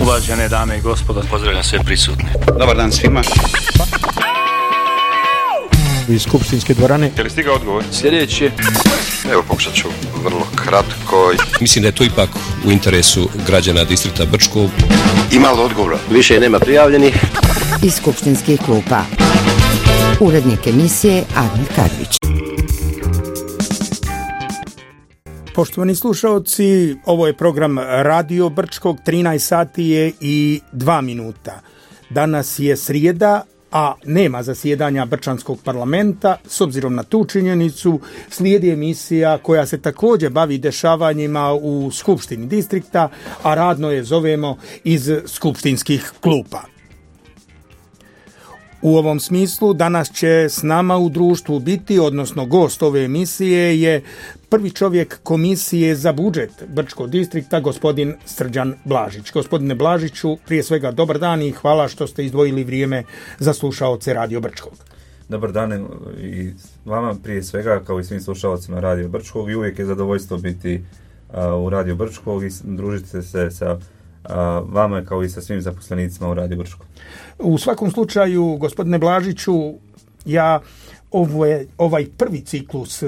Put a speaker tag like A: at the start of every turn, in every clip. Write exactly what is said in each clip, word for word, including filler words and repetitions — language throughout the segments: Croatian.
A: Uvažene dame i gospodo,
B: pozdravljam sve prisutne.
C: Dobar dan svima.
D: Iz skupštinske dvorane.
E: Je li stigao odgovor?
A: Sljedeći.
F: Evo, pokušat ću vrlo kratko.
G: Mislim da je to ipak u interesu građana distrikta Brčkog.
F: Ima li odgovora?
H: Više nema prijavljenih.
I: Iz skupštinskih klupa. Urednik emisije Admir Kadrić.
D: Poštovani slušaoci, ovo je program Radio Brčkog, trinaest sati je i dva minuta. Danas je srijeda, a nema zasjedanja Brčanskog parlamenta. S obzirom na tu činjenicu, slijedi emisija koja se također bavi dešavanjima u Skupštini distrikta, a radno je zovemo iz skupštinskih klupa. U ovom smislu danas će s nama u društvu biti, odnosno gost ove emisije je prvi čovjek Komisije za budžet Brčkog distrikta, gospodin Srđan Blažić. Gospodine Blažiću, prije svega dobar dan i hvala što ste izdvojili vrijeme za slušaoce Radio Brčkog.
J: Dobar dan i vama prije svega, kao i svim slušalcima Radio Brčkog, i uvijek je zadovoljstvo biti uh, u Radio Brčkog i družiti se sa uh, vama kao i sa svim zaposlenicima u Radio Brčkog.
D: U svakom slučaju, gospodine Blažiću, ja ovo je, ovaj prvi ciklus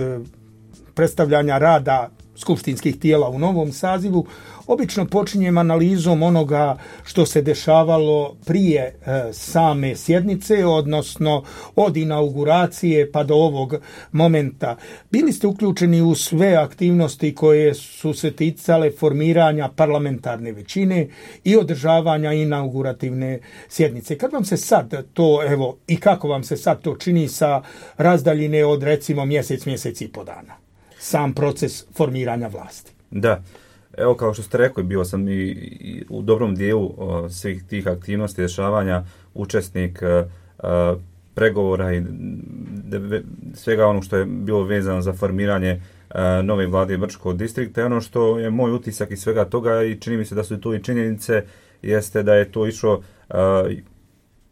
D: predstavljanja rada skupštinskih tijela u novom sazivu obično počinjem analizom onoga što se dešavalo prije e, same sjednice, odnosno od inauguracije pa do ovog momenta. Bili ste uključeni u sve aktivnosti koje su se ticale formiranja parlamentarne većine i održavanja inaugurativne sjednice. Kad vam se sad to, evo, i kako vam se sad to čini sa razdaljine od recimo mjesec, mjesec i po dana? Sam proces formiranja vlasti.
J: Da, evo kao što ste rekli, bio sam i, i u dobrom dijelu o, svih tih aktivnosti dešavanja učesnik o, o, pregovora i de, svega ono što je bilo vezano za formiranje o, nove vlade Brčkog distrikta. I ono što je moj utisak iz svega toga i čini mi se da su tu i činjenice, jeste da je to išlo o,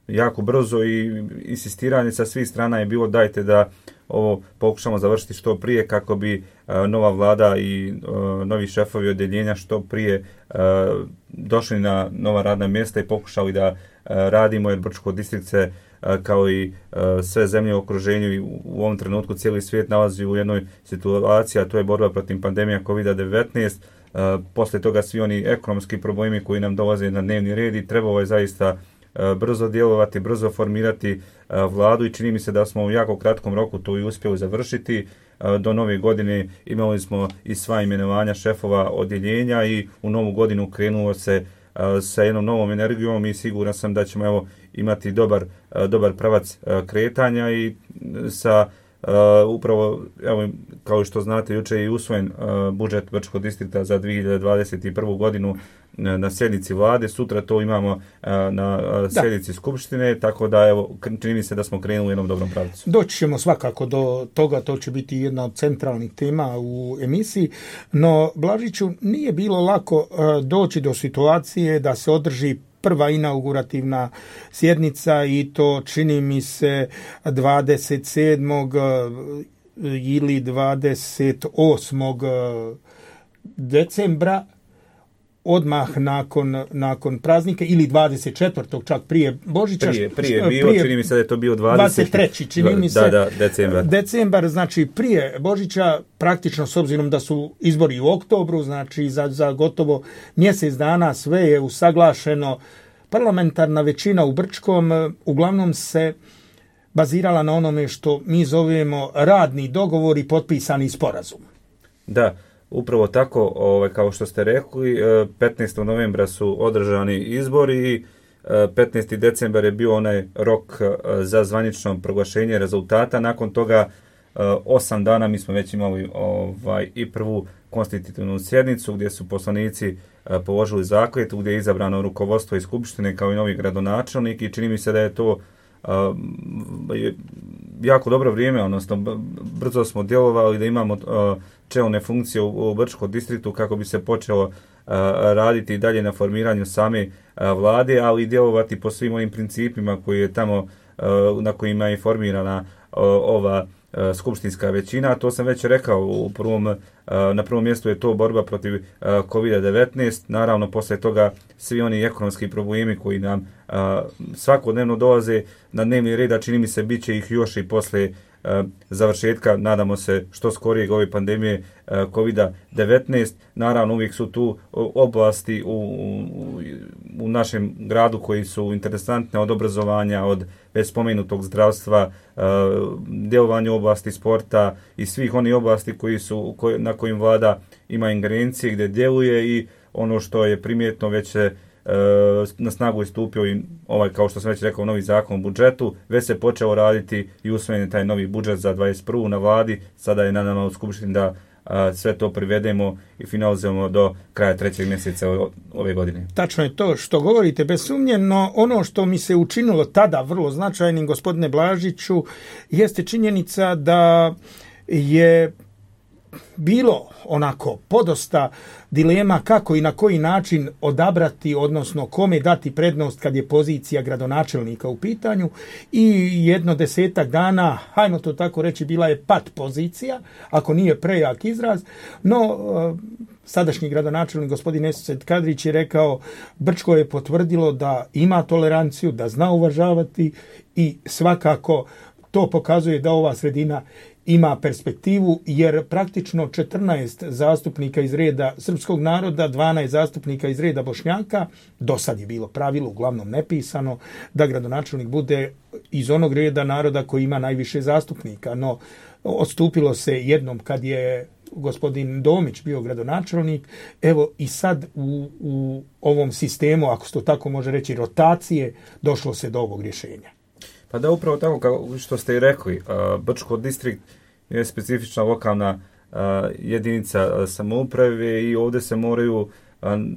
J: jako brzo i insistiranje sa svih strana je bilo dajte da ovo pokušamo završiti što prije kako bi uh, nova vlada i uh, novi šefovi odjeljenja što prije uh, došli na nova radna mjesta i pokušali da uh, radimo, jer Brčko distrikt se uh, kao i uh, sve zemlje u okruženju i u, u ovom trenutku cijeli svijet nalazi u jednoj situaciji, a to je borba protiv pandemija kovid devetnaest. Uh, poslije toga svi oni ekonomski problemi koji nam dolaze na dnevni red i trebalo je zaista brzo djelovati, brzo formirati vladu i čini mi se da smo u jako kratkom roku to i uspjeli završiti. Do nove godine imali smo i sva imenovanja šefova odjeljenja i u novu godinu krenulo se sa jednom novom energijom i siguran sam da ćemo evo imati dobar, dobar pravac kretanja i sa Uh, upravo, evo, kao što znate, jučer je usvojen uh, budžet Brčkog distrikta za dvije hiljade dvadeset prvu godinu uh, na sjednici vlade. Sutra to imamo uh, na uh, sjednici skupštine, tako da evo, čini mi se da smo krenuli u jednom dobrom pravcu.
D: Doći ćemo svakako do toga, to će biti jedna od centralnih tema u emisiji, no Blažiću, nije bilo lako uh, doći do situacije da se održi prva inaugurativna sjednica i to čini mi se dvadeset sedmog ili dvadeset osmog decembra, odmah nakon, nakon praznika, ili dvadeset četvrtog čak prije Božića.
J: Prije, prije bio, prije, čini mi se da je to bio dvadeset,
D: dvadeset treći čini mi se.
J: Da, da, decembar.
D: Decembar, znači prije Božića, praktično s obzirom da su izbori u oktobru, znači za, za gotovo mjesec dana sve je usaglašeno. Parlamentarna većina u Brčkom uglavnom se bazirala na onome što mi zovemo radni dogovor i potpisani sporazum.
J: Da, upravo tako, ovaj, kao što ste rekli, petnaestog novembra su održani izbori i petnaesti decembar je bio onaj rok za zvanično proglašenje rezultata. Nakon toga osam dana mi smo već imali ovaj, i prvu konstitutivnu sjednicu gdje su poslanici položili zakletvu, gdje je izabrano rukovodstvo iz skupštine kao i novi gradonačelnik i čini mi se da je to uh, jako dobro vrijeme, odnosno brzo smo djelovali da imamo uh, čelne funkcije u, u Brčkom distriktu kako bi se počelo uh, raditi dalje na formiranju same uh, vlade, ali i djelovati po svim onim principima koji je tamo, uh, na kojima je formirana uh, ova skupštinska većina. To sam već rekao u prvom Na prvom mjestu je to borba protiv kovid devetnaest, naravno poslije toga svi oni ekonomski problemi koji nam svakodnevno dolaze na dnevni red, a čini mi se bit će ih još i poslije završetka, nadamo se što skorijeg ove pandemije kovid devetnaest. Naravno uvijek su tu oblasti u, u, u našem gradu koji su interesantne, od obrazovanja, od već spomenutog zdravstva, djelovanja u oblasti sporta i svih onih oblasti koji su, na kojim vlada ima ingerencije, gdje djeluje, i ono što je primjetno već se na snagu je stupio i ovaj, kao što sam već rekao, novi zakon o budžetu, već se počeo raditi i usvojen je taj novi budžet za dvadeset prvu na vladi, sada je na nama u skupštini da a, sve to privedemo i finalizujemo do kraja trećeg mjeseca ove godine.
D: Tačno je to što govorite, bez sumnje, no ono što mi se učinilo tada vrlo značajnim, gospodine Blažiću, jeste činjenica da je bilo onako podosta dilema kako i na koji način odabrati, odnosno kome dati prednost kad je pozicija gradonačelnika u pitanju, i jedno desetak dana, hajmo to tako reći, bila je pat pozicija, ako nije prejak izraz, no sadašnji gradonačelnik gospodin Esed Kadrić je rekao, Brčko je potvrdilo da ima toleranciju, da zna uvažavati, i svakako to pokazuje da ova sredina ima perspektivu, jer praktično četrnaest zastupnika iz reda srpskog naroda, dvanaest zastupnika iz reda Bošnjaka, do sad je bilo pravilo, uglavnom nepisano, da gradonačelnik bude iz onog reda naroda koji ima najviše zastupnika, no odstupilo se jednom kad je gospodin Domić bio gradonačelnik. Evo i sad u, u ovom sistemu, ako se to tako može reći, rotacije, došlo se do ovog rješenja.
J: Pa da, upravo tako kao što ste i rekli, Brčko distrikt je specifična lokalna jedinica samouprave i ovdje se moraju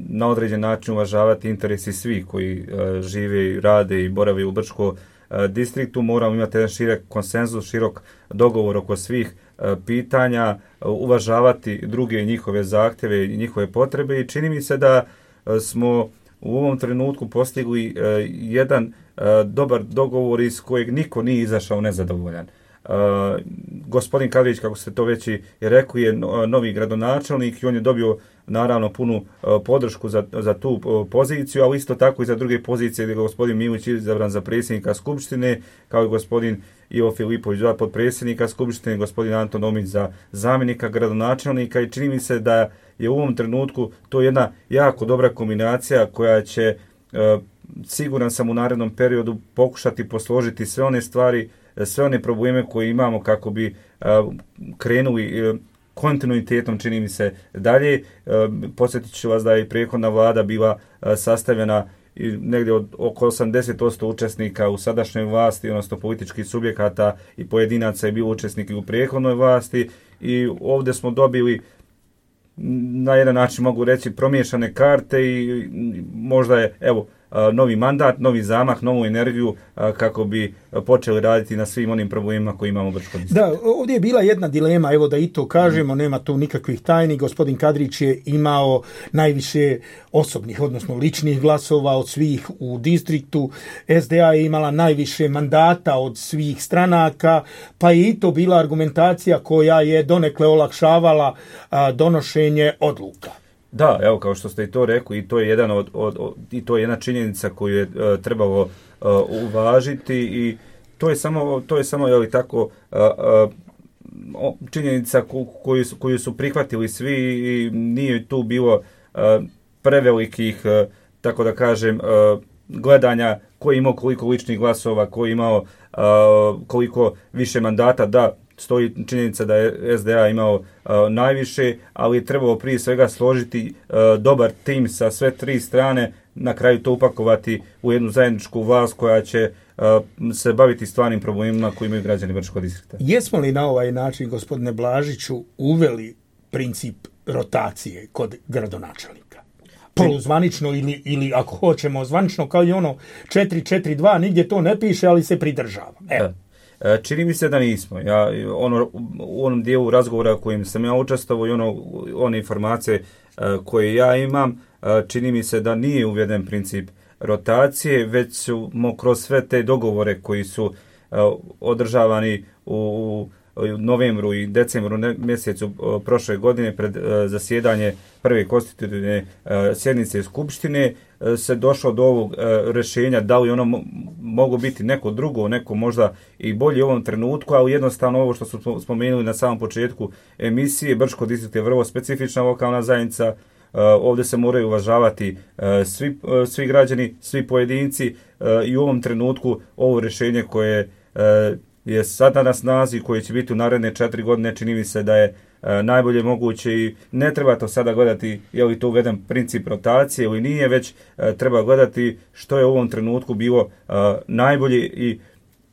J: na određen način uvažavati interesi svih koji žive, rade i borave u Brčko distriktu. Moramo imati jedan širok konsenzus, širok dogovor oko svih pitanja, uvažavati druge njihove zahtjeve i njihove potrebe, i čini mi se da smo u ovom trenutku postigli jedan dobar dogovor iz kojeg niko nije izašao nezadovoljan. Uh, gospodin Kadrić, kako ste to već i rekli, je novi gradonačelnik i on je dobio naravno punu uh, podršku za, za tu uh, poziciju, ali isto tako i za druge pozicije gdje je gospodin Milić izabran za predsjednika Skupštine, kao i gospodin Ivo Filipović za potpredsjednika Skupštine, gospodin Anton Omić za zamjenika gradonačelnika, i čini mi se da je u ovom trenutku to jedna jako dobra kombinacija koja će, uh, siguran sam, u narednom periodu pokušati posložiti sve one stvari, sve one probleme koje imamo kako bi uh, krenuli uh, kontinuitetom, čini mi se, dalje. Uh, podsjetit ću vas da je prethodna vlada bila uh, sastavljena i negdje od oko osamdeset posto učesnika u sadašnjoj vlasti, odnosno političkih subjekata i pojedinaca je bilo učesniki u prethodnoj vlasti, i ovdje smo dobili, na jedan način mogu reći, promiješane karte, i možda je, evo, novi mandat, novi zamah, novu energiju kako bi počeli raditi na svim onim problemima koji imamo u Brčkom distriktu.
D: Da, ovdje je bila jedna dilema, evo da i to kažemo, nema tu nikakvih tajni. Gospodin Kadrić je imao najviše osobnih, odnosno ličnih glasova od svih u distriktu. S D A je imala najviše mandata od svih stranaka, pa je i to bila argumentacija koja je donekle olakšavala a, donošenje odluka.
J: Da, evo, kao što ste i to rekli, i to je jedan od, od, od i to je jedna činjenica koju je uh, trebalo uh, uvažiti, i to je samo to je samo je li tako uh, uh, činjenica koju su, koju su prihvatili svi, i nije tu bilo uh, prevelikih, uh, tako da kažem, uh, gledanja ko je imao koliko ličnih glasova, ko je imao uh, koliko više mandata. Da, stoji činjenica da je S D A imao uh, najviše, ali je trebalo prije svega složiti uh, dobar tim sa sve tri strane, na kraju to upakovati u jednu zajedničku vlast koja će uh, se baviti stvarnim problemima koji imaju građani Brčkog distrikta.
D: Jesmo li na ovaj način, gospodine Blažiću, uveli princip rotacije kod gradonačelnika? Poluzvanično ili, ili ako hoćemo zvanično, kao i ono četiri četiri dva, nigdje to ne piše, ali se pridržava. Evo.
J: Čini mi se da nismo. Ja, ono, u onom dijelu razgovora kojim sam ja učestvovao i ono, one informacije uh, koje ja imam, uh, čini mi se da nije uveden princip rotacije, već smo kroz sve te dogovore koji su uh, održavani u, u novembru i decembru mjesecu prošle godine pred zasjedanje prve konstitutivne sjednice Skupštine se došlo do ovog rješenja, da li ono mogu biti neko drugo, neko možda i bolje u ovom trenutku, ali jednostavno ovo što su spomenuli na samom početku emisije, Brčko distrikt je vrlo specifična lokalna zajednica. Uh, ovdje se moraju uvažavati uh, svi, uh, svi građani, svi pojedinci uh, i u ovom trenutku ovo rješenje koje uh, je sada na snazi, koje će biti u naredne četiri godine, čini mi se da je uh, najbolje moguće i ne treba to sada gledati je li to uveden princip rotacije ili nije, već uh, treba gledati što je u ovom trenutku bilo uh, najbolje i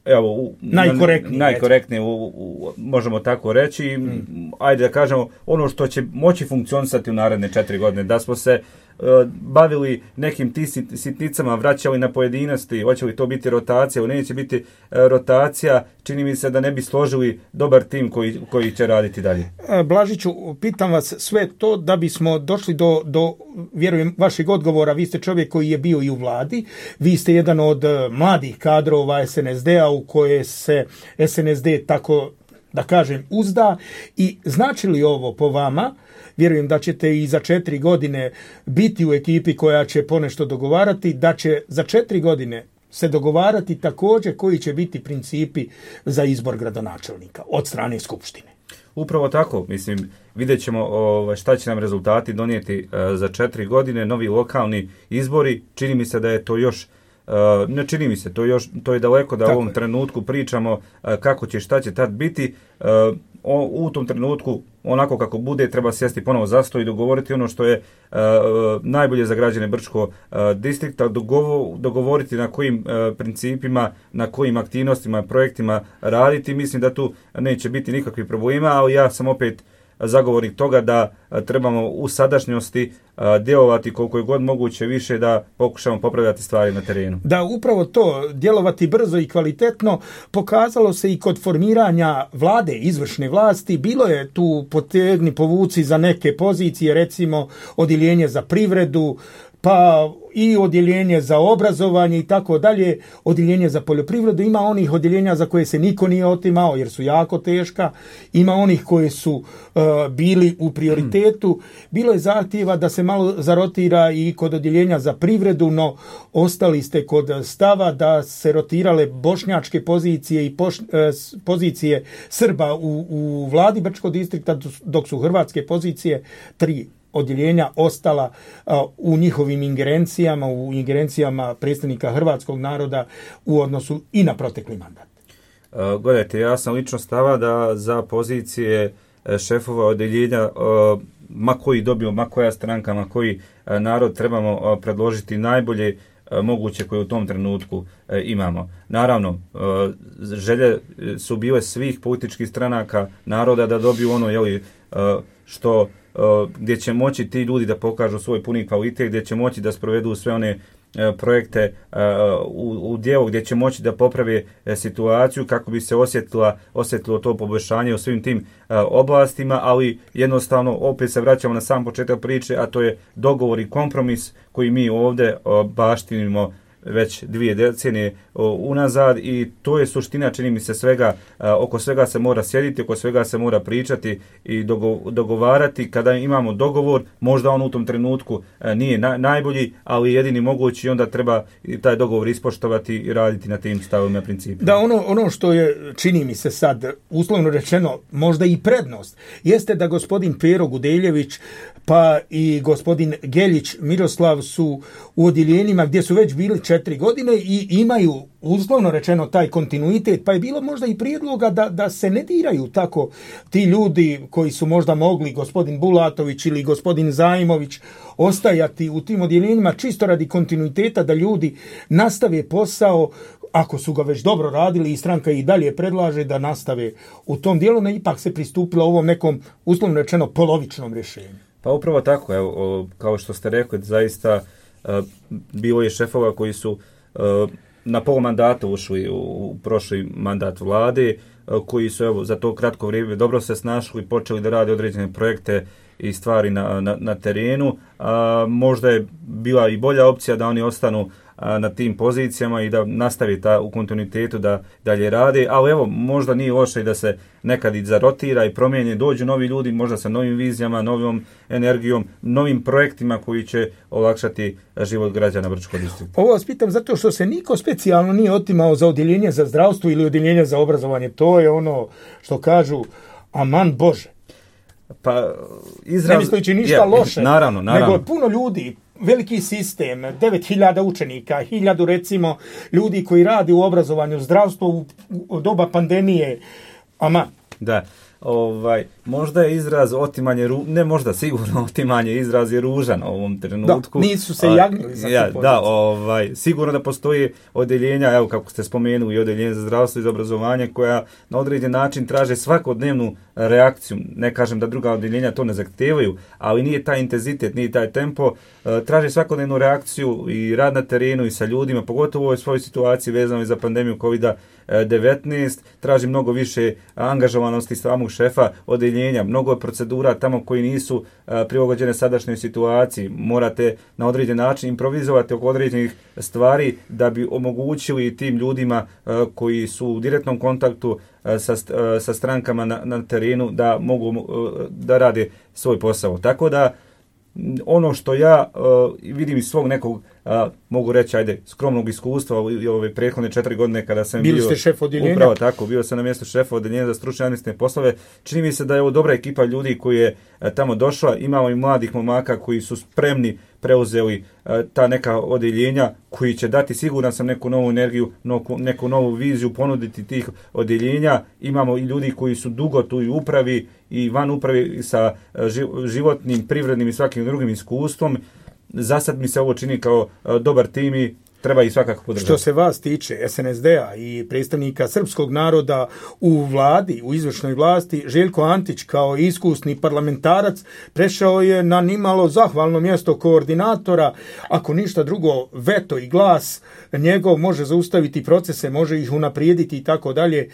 J: evo, u,
D: najkorektnije,
J: najkorektnije u, u, možemo tako reći. Mm. Ajde da kažemo ono što će moći funkcionisati u naredne četiri godine. Da smo se uh, bavili nekim ti sitnicama, vraćali na pojedinosti, hoće li to biti rotacija ili neće biti uh, rotacija, čini mi se da ne bi složili dobar tim koji, koji će raditi dalje.
D: Blažiću, pitam vas sve to da bismo došli do, do, vjerujem, vašeg odgovora. Vi ste čovjek koji je bio i u vladi, vi ste jedan od mladih kadrova es en es de-a u koje se es en es de tako, da kažem, uzda i znači li ovo po vama, vjerujem da ćete i za četiri godine biti u ekipi koja će ponešto dogovarati, da će za četiri godine se dogovarati također koji će biti principi za izbor gradonačelnika od strane Skupštine.
J: Upravo tako, mislim, vidjet ćemo o, šta će nam rezultati donijeti e, za četiri godine, novi lokalni izbori, čini mi se da je to još Uh, ne čini mi se, to, još, to je daleko da u ovom je. trenutku pričamo uh, kako će, šta će tad biti. Uh, o, u tom trenutku, onako kako bude, treba sjesti ponovo za sto i dogovoriti ono što je uh, najbolje za građane Brčko uh, distrikta, dogovo, dogovoriti na kojim uh, principima, na kojim aktivnostima, projektima raditi. Mislim da tu neće biti nikakvih problema, ali ja sam opet zagovornik toga da trebamo u sadašnjosti djelovati koliko je god moguće više da pokušamo popravljati stvari na terenu.
D: Da, upravo to, djelovati brzo i kvalitetno pokazalo se i kod formiranja vlade, izvršne vlasti. Bilo je tu potegni povuci za neke pozicije, recimo odjeljenje za privredu, pa i odjeljenje za obrazovanje i tako dalje, odjeljenje za poljoprivredu. Ima onih odjeljenja za koje se niko nije otimao jer su jako teška, ima onih koji su uh, bili u prioritetu. Bilo je zahtjeva da se malo zarotira i kod odjeljenja za privredu, no ostali ste kod stava da se rotirale bošnjačke pozicije i poš, uh, pozicije Srba u, u vladi Brčkog distrikta, dok su hrvatske pozicije tri odjeljenja ostala uh, u njihovim ingerencijama, u ingerencijama predstavnika hrvatskog naroda u odnosu i na protekli mandat.
J: Uh, gledajte, ja sam lično stava da za pozicije uh, šefova odjeljenja, uh, ma koji dobio, ma koja stranka, ma koji uh, narod trebamo uh, predložiti najbolje uh, moguće koje u tom trenutku uh, imamo. Naravno, uh, želje su bile svih političkih stranaka naroda da dobiju ono, jeli, uh, što Uh, gdje će moći ti ljudi da pokažu svoj puni kvalitet, gdje će moći da sprovedu sve one uh, projekte uh, u, u dijelu, gdje će moći da poprave uh, situaciju kako bi se osjetila, osjetilo to poboljšanje u svim tim uh, oblastima, ali jednostavno opet se vraćamo na sam početak priče, a to je dogovor i kompromis koji mi ovdje uh, baštinimo već dvije decenije unazad i to je suština, čini mi se, svega, oko svega se mora sjediti, oko svega se mora pričati i dogo, dogovarati. Kada imamo dogovor, možda on u tom trenutku nije na, najbolji, ali jedini mogući, onda treba taj dogovor ispoštovati i raditi na tim stavovima principima.
D: Da, ono, ono što je, čini mi se sad, uslovno rečeno, možda i prednost, jeste da gospodin Pero Gudeljević pa i gospodin Geljić Miroslav su u odjeljenjima gdje su već bili četiri godine i imaju uslovno rečeno taj kontinuitet, pa je bilo možda i prijedloga da, da se ne diraju tako ti ljudi koji su možda mogli, gospodin Bulatović ili gospodin Zajmović, ostajati u tim odjeljenjima čisto radi kontinuiteta, da ljudi nastave posao, ako su ga već dobro radili i stranka i dalje predlaže da nastave u tom dijelu, ne ipak se pristupilo ovom nekom uslovno rečeno polovičnom rješenju.
J: Pa upravo tako, evo, kao što ste rekli, zaista uh, bilo je šefova koji su uh, na pol mandata ušli u, u prošli mandat vlade, uh, koji su evo, za to kratko vrijeme dobro se snašli i počeli da rade određene projekte i stvari na, na, na terenu. A možda je bila i bolja opcija da oni ostanu na tim pozicijama i da nastavi ta, u kontinuitetu da dalje rade, ali evo, možda nije loše da se nekad i zarotira i promijeni, dođu novi ljudi, možda sa novim vizijama, novom energijom, novim projektima koji će olakšati život građana Brčkog distrikta.
D: Ovo vas pitam zato što se niko specijalno nije otimao za odjeljenje za zdravstvo ili odjeljenje za obrazovanje. To je ono što kažu, aman Bože.
J: Pa, izraz... Ne
D: mislići ništa je, loše,
J: naravno, naravno.
D: nego puno ljudi, veliki sistem, devet hiljada učenika, hiljadu recimo ljudi koji radi u obrazovanju, zdravstvu u, u doba pandemije, aman.
J: Da. Ovaj, možda je izraz otimanje, ru... ne možda, sigurno otimanje izraz je ružan u ovom trenutku.
D: Da, nisu se jagnili za
J: ja, da, ovaj, sigurno da postoji odjeljenja, evo kako ste spomenuli, i odjeljenje za zdravstvo i za obrazovanje koja na određen način traže svakodnevnu reakciju. Ne kažem da druga odjeljenja to ne zahtijevaju, ali nije taj intenzitet, nije taj tempo. Traže svakodnevnu reakciju i rad na terenu i sa ljudima, pogotovo u ovoj svojoj situaciji vezano za pandemiju kovida devetnaest, traži mnogo više angažovanosti samog šefa odjeljenja, mnogo je procedura tamo koji nisu uh, prilagođene sadašnjoj situaciji. Morate na određen način improvizovati oko određenih stvari da bi omogućili tim ljudima uh, koji su u direktnom kontaktu uh, sa, uh, sa strankama na, na terenu da mogu uh, da rade svoj posao. Tako da ono što ja uh, vidim iz svog nekog, uh, mogu reći, ajde, skromnog iskustva u ove prethodne četiri godine kada sam
D: Bili
J: bio...
D: ste šef odjeljenja?
J: Upravo tako, bio sam na mjestu šefa odjeljenja za stručne administrativne poslove. Čini mi se da je ovo dobra ekipa ljudi koji je uh, tamo došla. Imamo i mladih momaka koji su spremni preuzeli uh, ta neka odjeljenja koji će dati, siguran sam, neku novu energiju, neku, neku novu viziju, ponuditi tih odjeljenja. Imamo i ljudi koji su dugo tu i upravi i van upravi sa uh, životnim, privrednim i svakim drugim iskustvom. Za sad mi se ovo čini kao uh, dobar tim i treba ih svakako podržati.
D: Što se vas tiče S N S D-a i predstavnika srpskog naroda u vladi, u izvršnoj vlasti, Željko Antić kao iskusni parlamentarac prešao je na nimalo zahvalno mjesto koordinatora. Ako ništa drugo, veto i glas njegov može zaustaviti procese, može ih unaprijediti i tako dalje.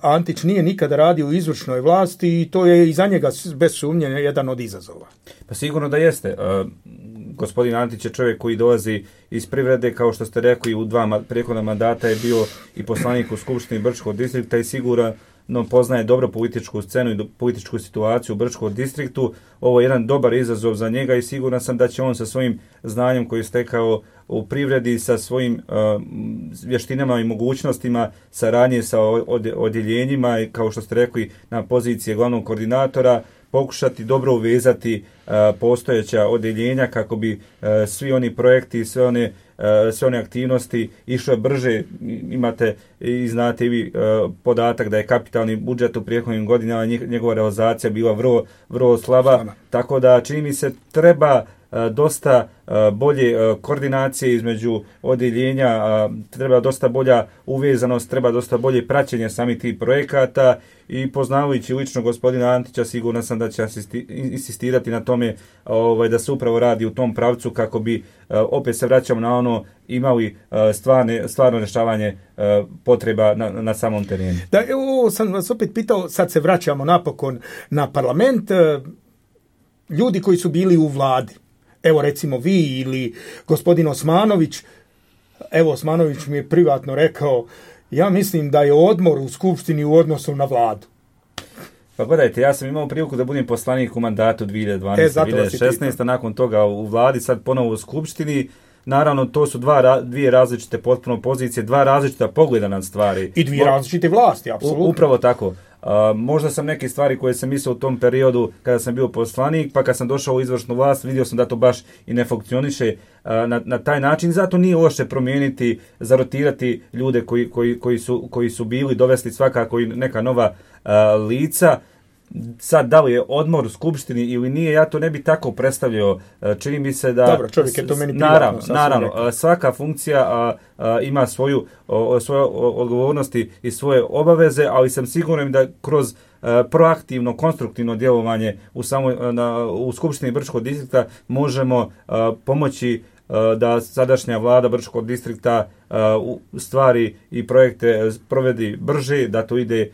D: Antić nije nikada radio u izvršnoj vlasti i to je i za njega bez sumnje jedan od izazova.
J: Pa sigurno da jeste. Uh, gospodin Antić je čovjek koji dolazi iz privrede, kao što ste rekli, u dva prethodna mandata je bio i poslanik u Skupštini Brčkog distrikta i sigurno poznaje dobro političku scenu i političku situaciju u Brčkom distriktu. Ovo je jedan dobar izazov za njega i siguran sam da će on sa svojim znanjem koji je stekao u privredi, sa svojim uh, vještinama i mogućnostima saradnje sa odjeljenjima i, kao što ste rekli, na pozicije glavnog koordinatora, pokušati dobro uvezati uh, postojeća odjeljenja kako bi uh, svi oni projekti, sve one, uh, sve one aktivnosti išle brže. Imate i znate i vi uh, podatak da je kapitalni budžet u prethodnim godinama, njegova realizacija bila vrlo, vrlo slaba, Slana. Tako da čini mi se treba dosta bolje koordinacije između odjeljenja, treba dosta bolja uvezanost, treba dosta bolje praćenje samih tih projekata i poznavajući lično gospodina Antića, sigurno sam da će insistirati na tome ovaj, da se upravo radi u tom pravcu kako bi, opet se vraćamo na ono, imali stvarne, stvarno rješavanje potreba na, na samom terenu.
D: Da, evo sam vas opet pitao, sad se vraćamo napokon na parlament, ljudi koji su bili u vladi. Evo recimo vi ili gospodin Osmanović. Evo Osmanović mi je privatno rekao, ja mislim da je odmor u Skupštini u odnosu na vladu.
J: Pa gledajte, ja sam imao priliku da budem poslanik u mandatu dvije hiljade dvanaeste dvije hiljade šesnaeste. Nakon toga u vladi, sad ponovo u Skupštini. Naravno, to su dva, dvije različite potpuno pozicije, dva različita pogleda na stvari.
D: I dvije različite vlasti, apsolutno.
J: U, upravo tako. Uh, možda sam neke stvari koje sam mislio u tom periodu kada sam bio poslanik, pa kad sam došao u izvršnu vlast, vidio sam da to baš i ne funkcioniše uh, na, na taj način. Zato nije loše promijeniti, zarotirati ljude koji, koji, koji, su, koji su bili, dovesti svakako i neka nova uh, lica. Sad, da li je odmor u Skupštini ili nije, ja to ne bi tako predstavljao. Čini mi se da...
D: Dobro, čovjek je to meni
J: naravno, naravno, rekao. Svaka funkcija a, a, ima svoju, o, svoje odgovornosti i svoje obaveze, ali sam siguran da kroz a, proaktivno, konstruktivno djelovanje u, samo, na, u Skupštini Brčkog distrikta možemo a, pomoći da sadašnja vlada Brčkog distrikta stvari i projekte provedi brže, da to ide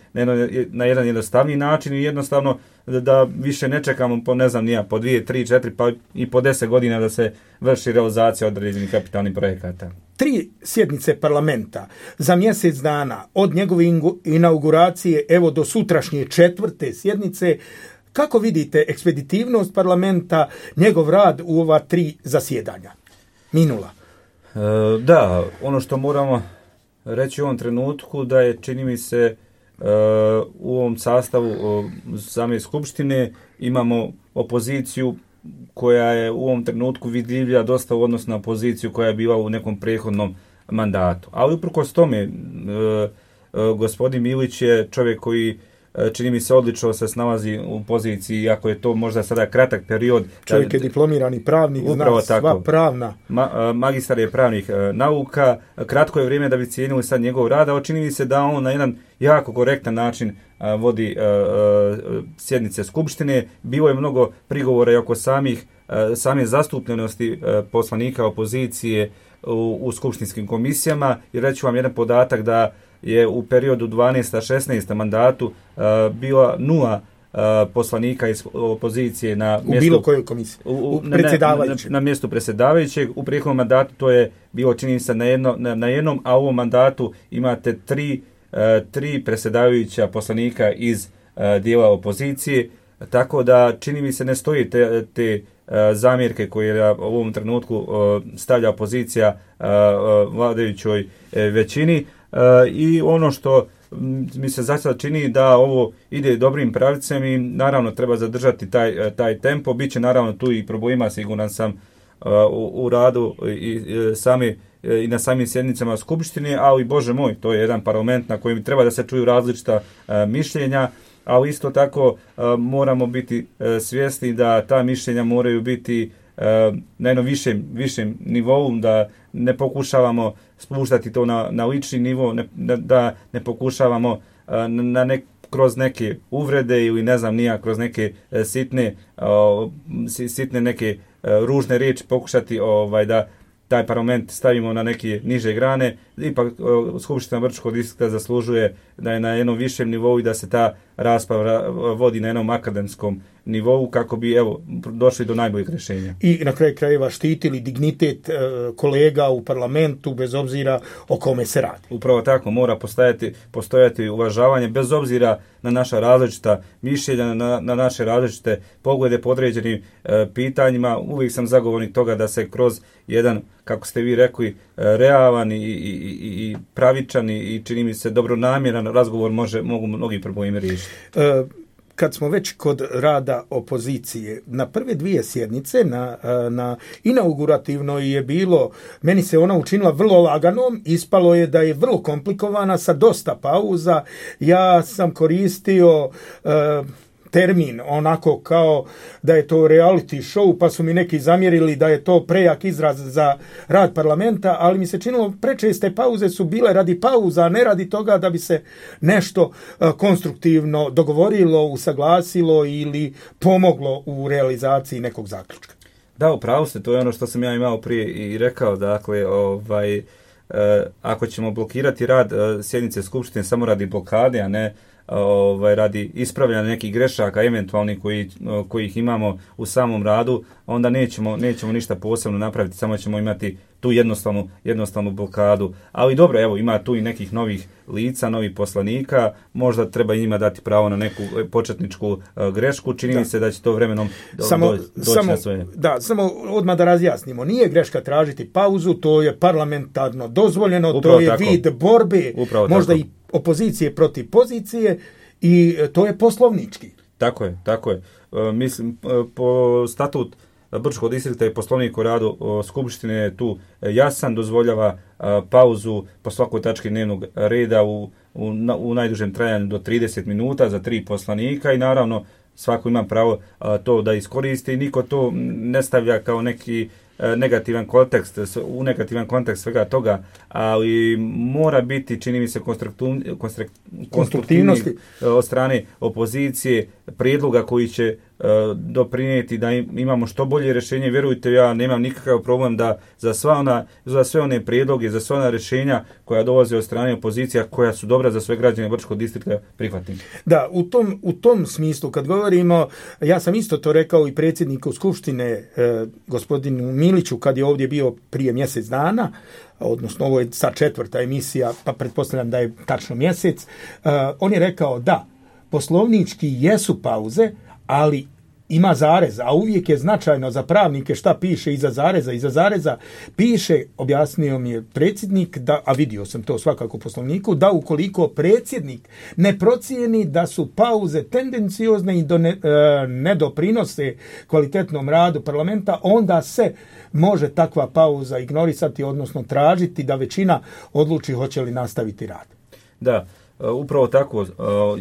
J: na jedan jednostavniji način i jednostavno da više ne čekamo po ne znam nija, po dvije, tri, četiri pa i po deset godina da se vrši realizacija određenih kapitalnih projekata.
D: Tri sjednice parlamenta za mjesec dana od njegove inauguracije evo do sutrašnje četvrte sjednice. Kako vidite ekspeditivnost parlamenta, njegov rad u ova tri zasjedanja? Minula.
J: E, da, ono što moramo reći u ovom trenutku da je, čini mi se, e, u ovom sastavu o, same skupštine imamo opoziciju koja je u ovom trenutku vidljivija dosta u odnosu na opoziciju koja je bila u nekom prethodnom mandatu. Ali uprkos tome, e, e, gospodin Milić je čovjek koji čini mi se odlično se snalazi u poziciji, iako je to možda sada kratak period.
D: Čovjek je diplomirani pravnik, zna sva pravna.
J: Ma, magistar je pravnih e, nauka, kratko je vrijeme da bi cijenili sad njegov rad, ali čini mi se da on na jedan jako korektan način a, vodi a, a, sjednice skupštine. Bilo je mnogo prigovora i oko samih, a, same zastupljenosti a, poslanika opozicije u, u skupštinskim komisijama. I reću vam jedan podatak da je u periodu dvanaest šesnaest mandatu uh, bila nula uh, poslanika iz opozicije na
D: u
J: mjestu,
D: bilo kojoj komisiji, u, u predsjedavajućeg.
J: Na, na, na mjestu predsjedavajućeg. U prethodnom mandatu to je bilo, čini se, na, jedno, na, na jednom, a u ovom mandatu imate tri, uh, tri predsjedavajuća poslanika iz uh, dijela opozicije, tako da čini mi se ne stoji te, te uh, zamjerke koje u ovom trenutku uh, stavlja opozicija uh, uh, vladajućoj uh, većini. Uh, i ono što mi se zaista čini da ovo ide dobrim pravicem i naravno treba zadržati taj, taj tempo. Biće naravno tu i problema, siguran sam, uh, u, u radu i, i, sami, i na samim sjednicama skupštine, ali bože moj, to je jedan parlament na kojem treba da se čuju različita uh, mišljenja, ali isto tako uh, moramo biti uh, svjesni da ta mišljenja moraju biti uh, na jednom višem, višem nivou, da ne pokušavamo spuštati to na, na lični nivo, ne, da ne pokušavamo uh, na nek, kroz neke uvrede ili ne znam nija, kroz neke uh, sitne, uh, sitne neke uh, ružne riječi pokušati ovaj, da taj parlament stavimo na neke niže grane. Ipak uh, Skupština Brčkog distrikta zaslužuje da je na jednom višem nivou i da se ta rasprava vodi na jednom akademskom nivou kako bi evo došli do najboljeg rješenja.
D: I na kraju krajeva štitili dignitet e, kolega u parlamentu bez obzira o kome se radi.
J: Upravo tako, mora postojati, postojati uvažavanje bez obzira na naša različita mišljenja, na, na naše različite poglede po određenim e, pitanjima. Uvijek sam zagovornik toga da se kroz jedan, kako ste vi rekli, e, realan i, i, i, i pravičan i čini mi se dobronamjeran razgovor može, mogu mnogi problemi riješiti.
D: E, Kad smo već kod rada opozicije, na prve dvije sjednice, na, na inaugurativnoj je bilo, meni se ona učinila vrlo laganom, ispalo je da je vrlo komplikovana sa dosta pauza. Ja sam koristio uh, termin onako kao da je to reality show, pa su mi neki zamjerili da je to prejak izraz za rad parlamenta, ali mi se činilo prečeste pauze su bile radi pauza, a ne radi toga da bi se nešto uh, konstruktivno dogovorilo, usaglasilo ili pomoglo u realizaciji nekog zaključka.
J: Da, upravo ste, to je ono što sam ja imao prije i rekao, dakle, ovaj, uh, ako ćemo blokirati rad uh, sjednice skupštine samo radi blokade, a ne ovaj, radi ispravljanja nekih grešaka eventualnih koji, kojih imamo u samom radu, onda nećemo, nećemo ništa posebno napraviti, samo ćemo imati tu jednostavnu, jednostavnu blokadu. Ali dobro, evo, ima tu i nekih novih lica, novih poslanika, možda treba njima dati pravo na neku početničku uh, grešku, čini mi se da će to vremenom do,
D: samo,
J: do, doći
D: samo,
J: na svoje.
D: Da, samo odmah da razjasnimo, nije greška tražiti pauzu, to je parlamentarno dozvoljeno, upravo to je tako. Vid borbe, upravo možda tako. I opozicije protiv pozicije i to je poslovnički.
J: Tako je, tako je. E, mislim, po statut Brčkog distrikta i poslovnik o radu o, skupštine je tu jasan, dozvoljava a, pauzu po svakoj tački dnevnog reda u, u, na, u najdužem trajanju do trideset minuta za tri poslanika i naravno svako ima pravo a, to da iskoristi i niko to ne stavlja kao neki negativan kontekst, u negativan kontekst svega toga, ali mora biti, čini mi se, konstruktivnosti od strane opozicije, prijedloga koji će doprinijeti da imamo što bolje rješenje. Vjerujte, ja nemam nikakav problem da za, sva ona, za sve one prijedloge, za sva ona rješenja koja dolaze od strane opozicija, koja su dobra za sve građane Brčkog distrikta, prihvatim.
D: Da, u tom, u tom smislu kad govorimo, ja sam isto to rekao i predsjedniku Skupštine e, gospodinu Miliću kad je ovdje bio prije mjesec dana, odnosno ovo je sad četvrta emisija, pa pretpostavljam da je tačno mjesec, uh, on je rekao da, poslovnički jesu pauze, ali ima zarez, a uvijek je značajno za pravnike šta piše iza zareza. Iza zareza piše, objasnio mi je predsjednik, da, a vidio sam to svakako u poslovniku, da ukoliko predsjednik ne procijeni da su pauze tendenciozne i do ne, e, ne doprinose kvalitetnom radu parlamenta, onda se može takva pauza ignorisati, odnosno tražiti da većina odluči hoće li nastaviti rad.
J: Da, upravo tako.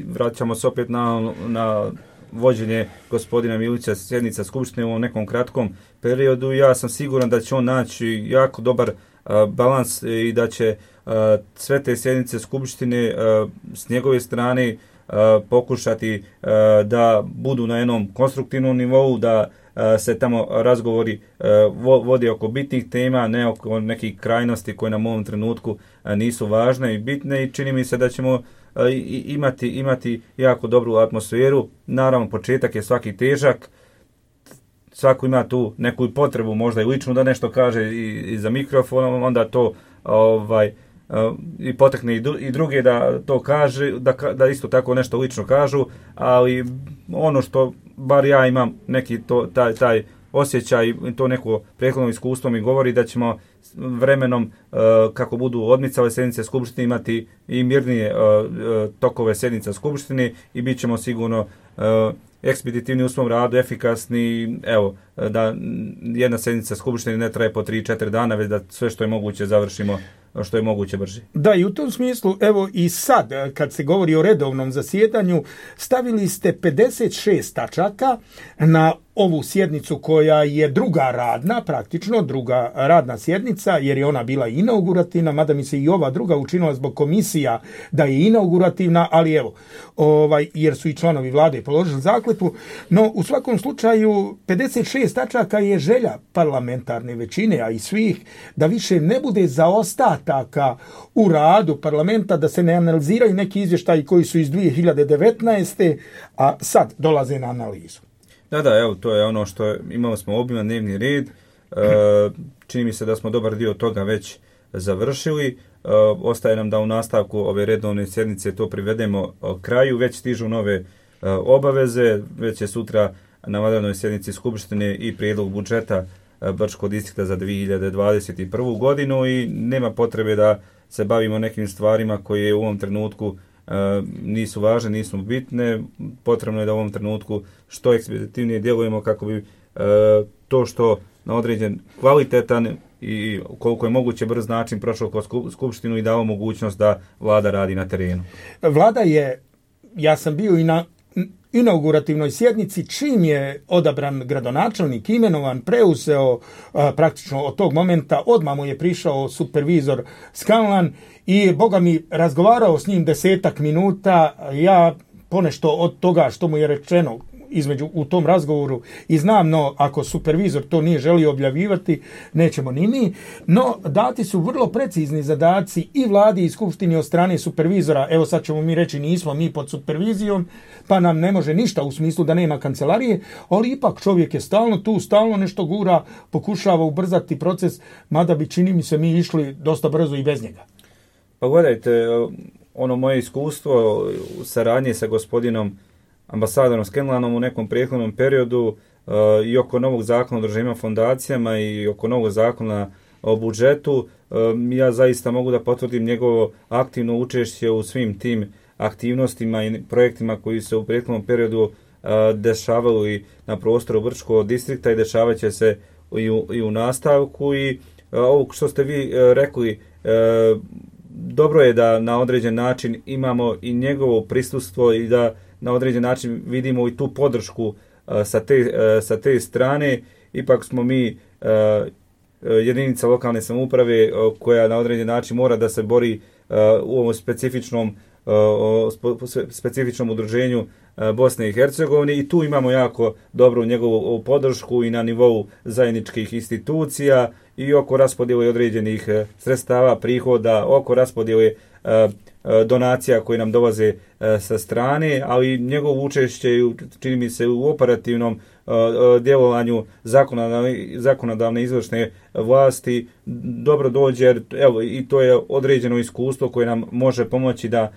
J: Vraćamo se opet na, na vođenje gospodina Milića sjednica Skupštine u nekom kratkom periodu. Ja sam siguran da će on naći jako dobar balans i da će sve te sjednice Skupštine s njegove strane pokušati da budu na jednom konstruktivnom nivou, da se tamo razgovori vode oko bitnih tema, ne oko nekih krajnosti koje nam u ovom trenutku nisu važne i bitne, i čini mi se da ćemo imati, imati jako dobru atmosferu. Naravno, početak je svaki težak, svako ima tu neku potrebu, možda i lično da nešto kaže i, i za mikrofonom, onda to ovaj, i potekne i druge da to kaže, da, da isto tako nešto lično kažu, ali ono što bar ja imam neki to, taj, taj osjećaj i to neko prethodno iskustvo mi govori da ćemo vremenom, kako budu odmicale sjednice Skupštine, imati i mirnije tokove sjednica Skupštine i bit ćemo sigurno ekspeditivni u svom radu, efikasni, evo, da jedna sjednica Skupštine ne traje po tri do četiri dana, već da sve što je moguće završimo što je moguće brže.
D: Da, i u tom smislu, evo i sad, kad se govori o redovnom zasjedanju, stavili ste pedeset šest tačaka na ovu sjednicu koja je druga radna, praktično druga radna sjednica, jer je ona bila inaugurativna, mada mi se i ova druga učinila zbog komisija da je inaugurativna, ali evo, ovaj, jer su i članovi vlade položili zakletvu, no u svakom slučaju pedeset šest tačaka je želja parlamentarne većine, a i svih, da više ne bude zaostataka u radu parlamenta, da se ne analiziraju neki izvještaji koji su iz dvije hiljade devetnaeste. a sad dolaze na analizu.
J: Da, da, evo, to je ono što je, imali smo obiman dnevni red, e, čini mi se da smo dobar dio toga već završili, e, ostaje nam da u nastavku ove redovne sjednice to privedemo kraju, već stižu nove e, obaveze, već je sutra na vanrednoj sjednici Skupštine i prijedlog budžeta Brčkog distrikta za dvije hiljade dvadeset prvu. godinu i nema potrebe da se bavimo nekim stvarima koje u ovom trenutku e, nisu važne, nisu bitne. Potrebno je da u ovom trenutku što ekspeditivnije djelujemo kako bi e, to što na određen kvalitetan i koliko je moguće brz način prošao kroz Skupštinu i dao mogućnost da vlada radi na terenu.
D: Vlada je, ja sam bio i na inaugurativnoj sjednici, čim je odabran gradonačelnik, imenovan, preuzeo a, praktično od tog momenta, odmah mu je prišao supervizor Scanlan i boga mi razgovarao s njim desetak minuta. Ja ponešto od toga što mu je rečeno između u tom razgovoru i znam, no ako supervizor to nije želio objavljivati, nećemo ni mi, no dati su vrlo precizni zadaci i vladi i skupštini od strane supervizora. Evo sad ćemo mi reći nismo mi pod supervizijom, pa nam ne može ništa u smislu da nema kancelarije, ali ipak čovjek je stalno tu, stalno nešto gura, pokušava ubrzati proces, mada bi, čini mi se, mi išli dosta brzo i bez njega.
J: Pa gledajte, ono moje iskustvo u saradnji sa gospodinom ambasadorom Scanlanom u nekom prethodnom periodu uh, i oko novog zakona o državnim fondacijama i oko novog zakona o budžetu, uh, ja zaista mogu da potvrdim njegovo aktivno učešće u svim tim aktivnostima i projektima koji se u prethodnom periodu uh, dešavali na prostoru Brčkog distrikta i dešavat će se i u, i u nastavku. I uh, ovo što ste vi uh, rekli, uh, dobro je da na određen način imamo i njegovo prisustvo i da na određen način vidimo i tu podršku uh, sa, te, uh, sa te strane. Ipak smo mi uh, jedinica lokalne samouprave uh, koja na određen način mora da se bori uh, u ovom specifičnom, uh, specifičnom udruženju Bosne i Hercegovine i tu imamo jako dobru njegovu podršku i na nivou zajedničkih institucija i oko raspodjele određenih sredstava, prihoda, oko raspodjele donacija koje nam dolaze sa strane, ali njegovo učešće čini mi se u operativnom djelovanju zakonodavne, zakonodavne izvršne vlasti dobro dođe, jer evo, i to je određeno iskustvo koje nam može pomoći da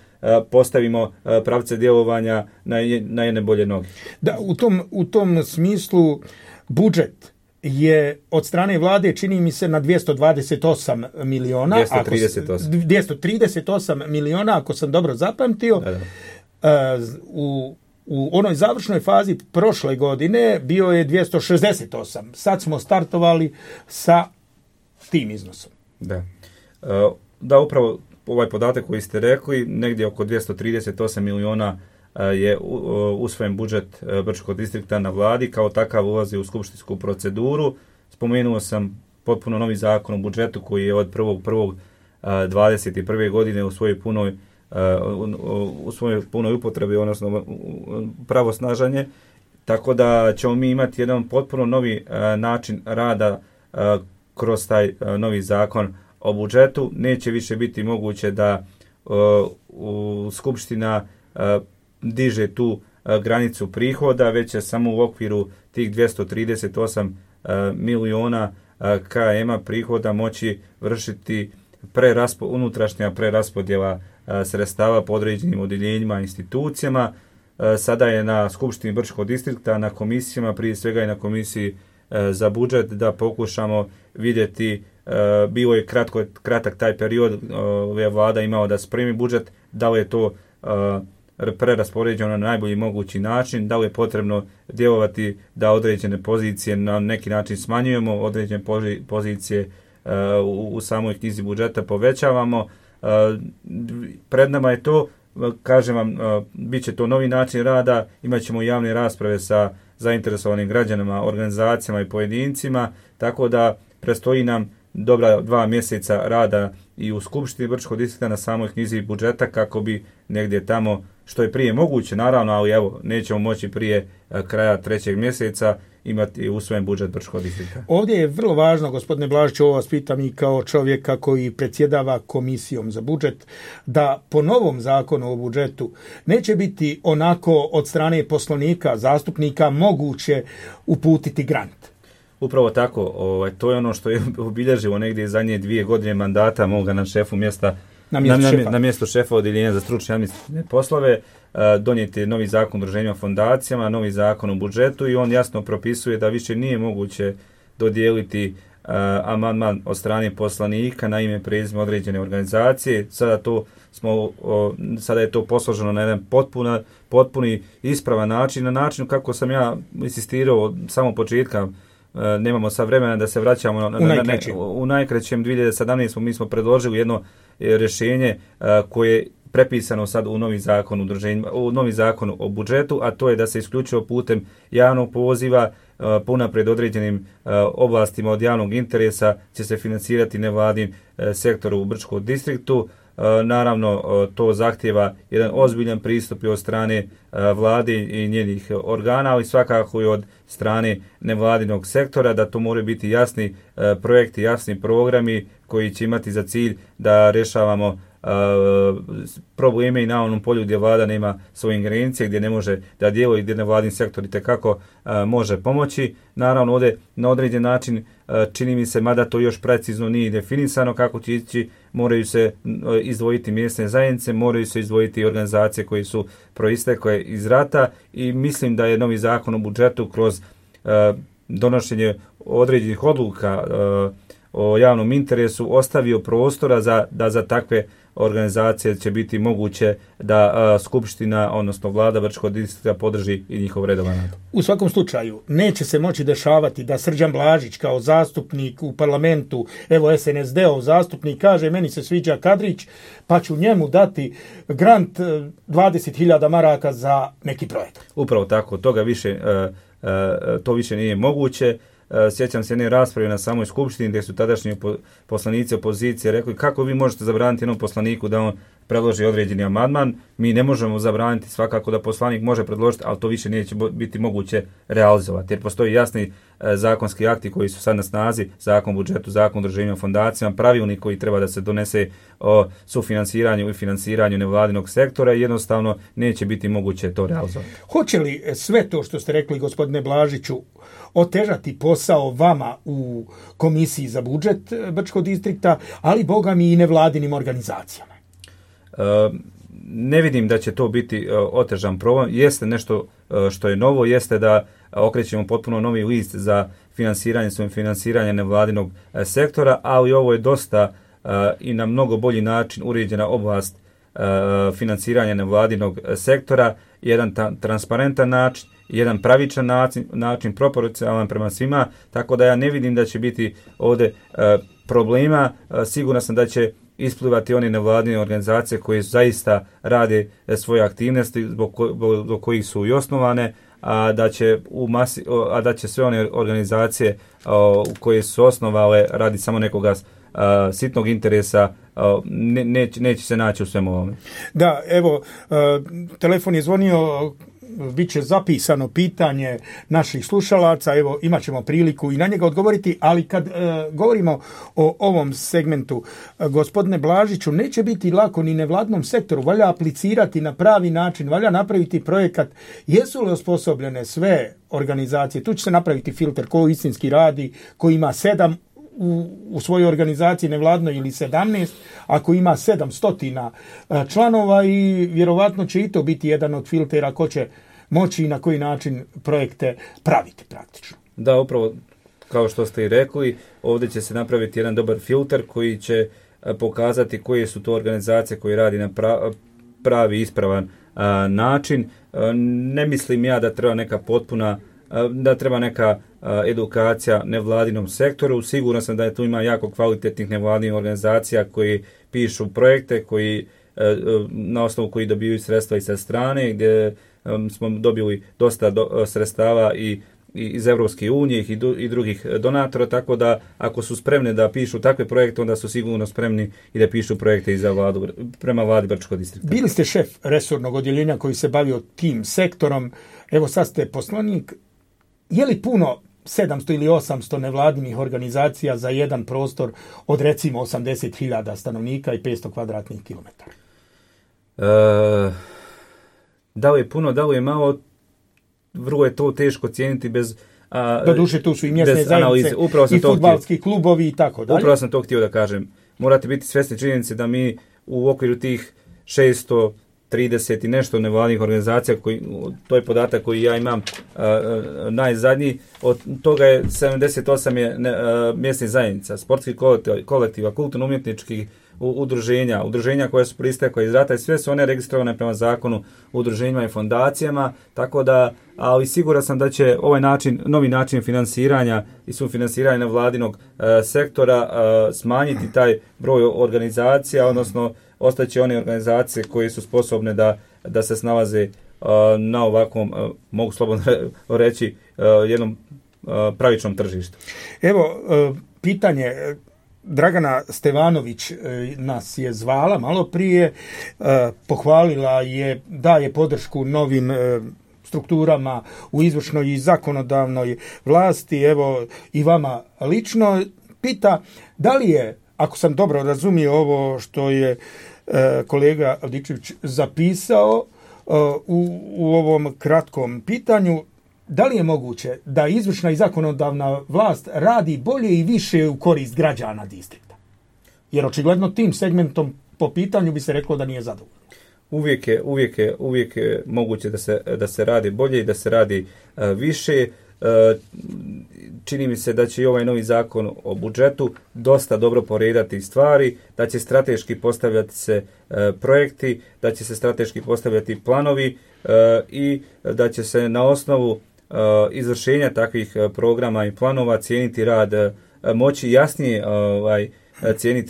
J: postavimo pravce djelovanja na, na jedne bolje noge.
D: Da, u tom, u tom smislu budžet je od strane vlade čini mi se na dvjesto dvadeset osam miliona,
J: dvjesto trideset osam.
D: Ako, dvjesto trideset osam miliona, ako sam dobro zapamtio. Da, da. U, u onoj završnoj fazi prošle godine bio je dvjesto šezdeset osam. Sad smo startovali sa tim iznosom.
J: Da, da upravo ovaj podatak koji ste rekli, negdje oko dvjesto trideset osam miliona je usvojen budžet Brčkog distrikta na vladi, kao takav ulazi u skupštinsku proceduru. Spomenuo sam potpuno novi zakon o budžetu koji je od prvog prvog dvadeset prve godine u svojoj punoj u svojoj punoj upotrebi, odnosno pravosnažanje, tako da ćemo mi imati jedan potpuno novi način rada kroz taj novi zakon o budžetu. Neće više biti moguće da u Skupština diže tu granicu prihoda, već će samo u okviru tih dvjesto trideset osam miliona km prihoda moći vršiti preraspo, unutrašnja preraspodjela sredstava po određenim odjeljenjima, institucijama. Sada je na Skupštini Brčkog distrikta, na komisijama, prije svega i na komisiji za budžet, da pokušamo vidjeti, bilo je kratko, kratak taj period, je vlada imao da spremi budžet, da li je to preraspoređeno na najbolji mogući način, da li je potrebno djelovati da određene pozicije na neki način smanjujemo, određene pozicije u, u samoj knjizi budžeta povećavamo. Pred nama je to, kažem vam, bit će to novi način rada, imat ćemo javne rasprave sa zainteresovanim građanima, organizacijama i pojedincima, tako da predstoji nam dobra dva mjeseca rada i u Skupštini Brčkog distrikta na samoj knjizi budžeta, kako bi negdje tamo, što je prije moguće, naravno, ali evo, nećemo moći prije kraja trećeg mjeseca imati usvojen budžet Brčkog distrikta.
D: Ovdje je vrlo važno, gospodine Blažiću, ovo vas pitam i kao čovjeka koji predsjedava komisijom za budžet, da po novom zakonu o budžetu neće biti onako od strane poslanika, zastupnika moguće uputiti grant.
J: Upravo tako, ovaj, to je ono što je obilježilo negdje zadnje dvije godine mandata moga na šefu mjesta, na mjesto, na, šefa. na mjesto šefa odjeljenja za stručne administrativne poslove. Donijeti je novi zakon o udruženjima fondacijama, novi zakon o budžetu i on jasno propisuje da više nije moguće dodijeliti uh, amandman od strane poslanika na ime prezime određene organizacije. Sada to smo o, sada je to posloženo na jedan potpuna, potpuni ispravan način, na način kako sam ja insistirao od samog početka. Nemamo sad vremena da se vraćamo na,
D: u,
J: na, na, u najkraćem dvije hiljade sedamnaeste. mi smo predložili jedno rješenje koje je prepisano sad u novi zakon u, u novi zakon o budžetu, a to je da se isključivo putem javnog poziva punapred određenim oblastima od javnog interesa će se financirati nevladin sektor u Brčkom distriktu. Naravno, to zahtjeva jedan ozbiljan pristup i od strane vlade i njenih organa, ali svakako i od strane nevladinog sektora, da to moraju biti jasni projekti, jasni programi koji će imati za cilj da rješavamo probleme i na onom polju gdje vlada nema svoje ingerencije, gdje ne može da djeluje, gdje nevladin sektor itekako može pomoći. Naravno, ovdje na određen način čini mi se, mada to još precizno nije definisano kako će ići, moraju se izdvojiti mjesne zajednice, moraju se izdvojiti organizacije koje su proistekle iz rata i mislim da je novi zakon o budžetu kroz donošenje određenih odluka o javnom interesu ostavio prostora za, da za takve organizacije će biti moguće da a, Skupština, odnosno vlada Brčkog distrikta podrži i njihov redovan rad.
D: U svakom slučaju, neće se moći dešavati da Srđan Blažić kao zastupnik u parlamentu, evo es en es de-ov zastupnik, kaže meni se sviđa Kadrić, pa ću njemu dati grant dvadeset hiljada maraka za neki projekt.
J: Upravo tako, toga više, uh, uh, to više nije moguće. sjećam se jedne rasprave na samoj skupštini gdje su tadašnji poslanici opozicije rekli kako vi možete zabraniti jednom poslaniku da on predloži određeni amandman, mi ne možemo zabraniti, svakako da poslanik može predložiti, ali to više neće biti moguće realizovati, jer postoji jasni e, zakonski akti koji su sad na snazi, zakon o budžetu, zakon o udruženjima, fondacijama, pravilnik koji treba da se donese o sufinansiranju i finansiranju nevladinog sektora i jednostavno neće biti moguće to realizovati.
D: Hoće li sve to što ste rekli, gospodine Blažiću, otežati posao vama u Komisiji za budžet Brčkog distrikta, ali boga mi i nevladinim organizacijama?
J: Ne vidim da će to biti otežan problem. Jeste nešto što je novo, jeste da okrećemo potpuno novi list za finansiranje, svojim finansiranje nevladinog sektora, ali ovo je dosta i na mnogo bolji način uređena oblast finansiranja nevladinog sektora, jedan ta, transparentan način, jedan pravičan način, način proporcionalan prema svima, tako da ja ne vidim da će biti ovdje problema. Siguran sam da će isplivati one nevladine organizacije koje zaista rade svoje aktivnosti zbog, ko, zbog kojih su i osnovane, a da će u masi, a da će sve one organizacije o, koje su osnovale radi samo nekoga a, sitnog interesa a, ne, neće, neće se naći u svemu ovome.
D: Da, evo, a, telefon je zvonio, bit će zapisano pitanje naših slušalaca, evo imat ćemo priliku i na njega odgovoriti, ali kad e, govorimo o ovom segmentu, e, gospodine Blažiću, neće biti lako ni nevladnom sektoru, valja aplicirati na pravi način, valja napraviti projekat, jesu li osposobljene sve organizacije, tu će se napraviti filter ko istinski radi, ko ima sedam U, u svojoj organizaciji nevladnoj ili sedamnaest, ako ima sedamstotina članova i vjerovatno će i to biti jedan od filtera ko će moći i na koji način projekte praviti praktično.
J: Da, upravo kao što ste i rekli, ovdje će se napraviti jedan dobar filter koji će pokazati koje su to organizacije koje radi na pravi ispravan a, način. A, ne mislim ja da treba neka potpuna da treba neka edukacija nevladinom sektoru. Siguran sam da je tu ima jako kvalitetnih nevladinih organizacija koji pišu projekte, koji na osnovu koji dobiju sredstva i sa strane, gdje smo dobili dosta do, sredstava i, i iz Evropske unije i, do, i drugih donatora, tako da ako su spremni da pišu takve projekte, onda su sigurno spremni i da pišu projekte i za vladu, prema vladi Brčkog distrikta.
D: Bili ste šef resornog odjeljenja koji se bavio tim sektorom, evo sad ste poslanik. Je li puno sedamsto ili osamsto nevladinih organizacija za jedan prostor od recimo osamdeset hiljada stanovnika i petsto kvadratnih kilometara?
J: E, da li je puno, da li je malo, vrlo je to teško cijeniti bez... A,
D: Doduše tu su i mjesne zajednice i fudbalski klubovi i tako dalje.
J: Upravo sam to htio da kažem. Morate biti svjesni činjenice da mi u okviru tih šesto trideset i nešto nevladnih organizacija, koji, to je podatak koji ja imam uh, najzadnji, od toga je sedamdeset osam je ne, uh, mjesnih zajednica, sportskih kolektiva, kolektiva kulturno-umjetničkih udruženja, udruženja koje su pristekle iz rata i sve su one registrovane prema zakonu o udruženjima i fondacijama, tako da, ali siguran sam da će ovaj način, novi način finansiranja i sufinansiranja nevladinog uh, sektora uh, smanjiti taj broj organizacija, odnosno ostaće one organizacije koje su sposobne da, da se snalaze uh, na ovakvom, uh, mogu slobodno reći, uh, jednom uh, pravičnom tržištu.
D: Evo, uh, pitanje, Dragana Stevanović uh, nas je zvala malo prije, uh, pohvalila je, daje podršku novim uh, strukturama u izvršnoj i zakonodavnoj vlasti, evo i vama lično, pita da li je, ako sam dobro razumio ovo što je e, kolega Avdičević zapisao e, u, u ovom kratkom pitanju, da li je moguće da izvršna i zakonodavna vlast radi bolje i više u korist građana distrikta? Jer očigledno tim segmentom po pitanju bi se reklo da nije zadovoljno.
J: Uvijek je, uvijek je, uvijek je moguće da se, da se radi bolje i da se radi uh, više. Uh, čini mi se da će i ovaj novi zakon o budžetu dosta dobro poredati stvari, da će strateški postavljati se uh, projekti, da će se strateški postavljati planovi uh, i da će se na osnovu uh, izvršenja takvih uh, programa i planova cijeniti rad, uh, moći jasnije uh, ovaj, cijeniti